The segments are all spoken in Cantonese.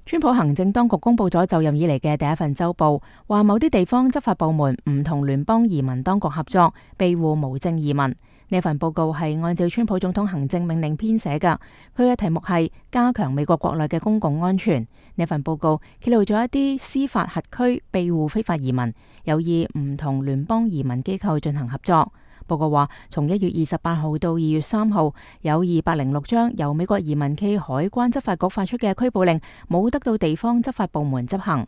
川普行政當局公布咗就任以嚟嘅第一份週報，話某啲地方執法部門唔同聯邦移民當局合作，庇護無證移民。呢份報告係按照川普總統行政命令編寫㗎，佢嘅題目係加強美國國內嘅公共安全。呢份報告揭露咗一啲司法轄區庇護非法移民，有意唔同聯邦移民機構進行合作。報告話，從1月28號到2月3號，有206張由美國移民暨海關執法局發出嘅拘捕令冇得到地方執法部門執行。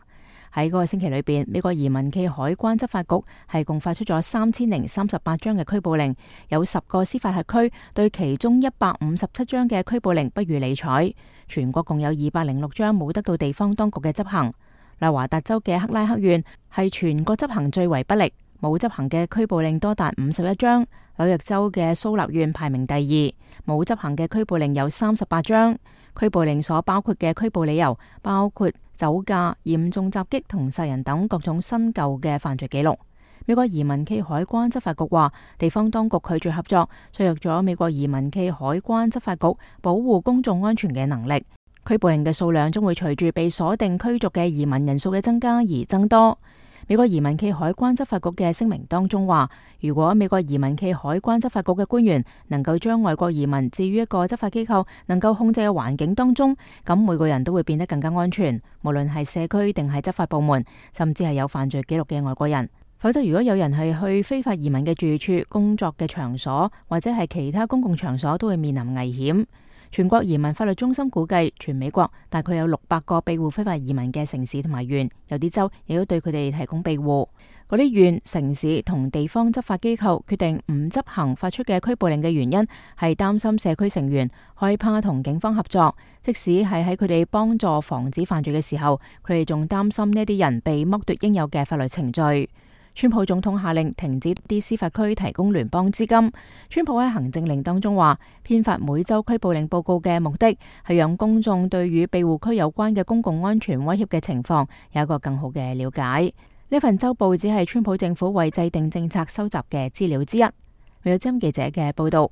喺嗰個星期裏邊，美國移民暨海關執法局係共發出咗3038張嘅拘捕令，有10個司法轄區對其中157張嘅拘捕令不予理睬。全國共有206張冇得到地方當局嘅執行。內華達州嘅克拉克縣係全國執行最為不力，冇執行嘅拘捕令多達51張。紐約州嘅蘇立縣排名第2，冇執行嘅拘捕令有38張。拘捕令所包括嘅拘捕理由包括酒駕、嚴重襲擊同殺人等各種新舊嘅犯罪記錄。美國移民暨海關執法局話，地方當局拒絕合作，削弱咗美國移民暨海關執法局保護公眾安全嘅能力。拘捕令嘅數量將會隨住被鎖定驅逐嘅移民人數嘅增加而增多。美國移民暨海關執法局嘅聲明當中話，如果美國移民暨海關執法局嘅官員能夠將外國移民置於一個執法機構能夠控制嘅環境當中，咁每個人都會變得更加安全，無論係社區定係執法部門，甚至係有犯罪記錄嘅外國人。否則，如果有人係去非法移民嘅住處、工作嘅場所或者係其他公共場所，都會面臨危險。全國移民法律中心估計，全美國大概有600個庇護非法移民嘅城市同埋縣，有啲州亦都對佢哋提供庇護。嗰啲縣、城市同地方執法機構決定唔執行發出嘅拘捕令嘅原因，係擔心社區成員害怕同警方合作，即使係喺佢哋幫助防止犯罪嘅時候，佢哋仲擔心呢啲人被剝奪應有嘅法律程序。川普總統下令停止啲司法區提供聯邦資金。川普喺行政令當中話，編發每週拘捕令報告嘅目的係讓公眾對與庇護區有關嘅公共安全威脅嘅情況有一個更好嘅了解。呢份週報只係川普政府為制定政策收集嘅資料之一。有資深記者嘅報道。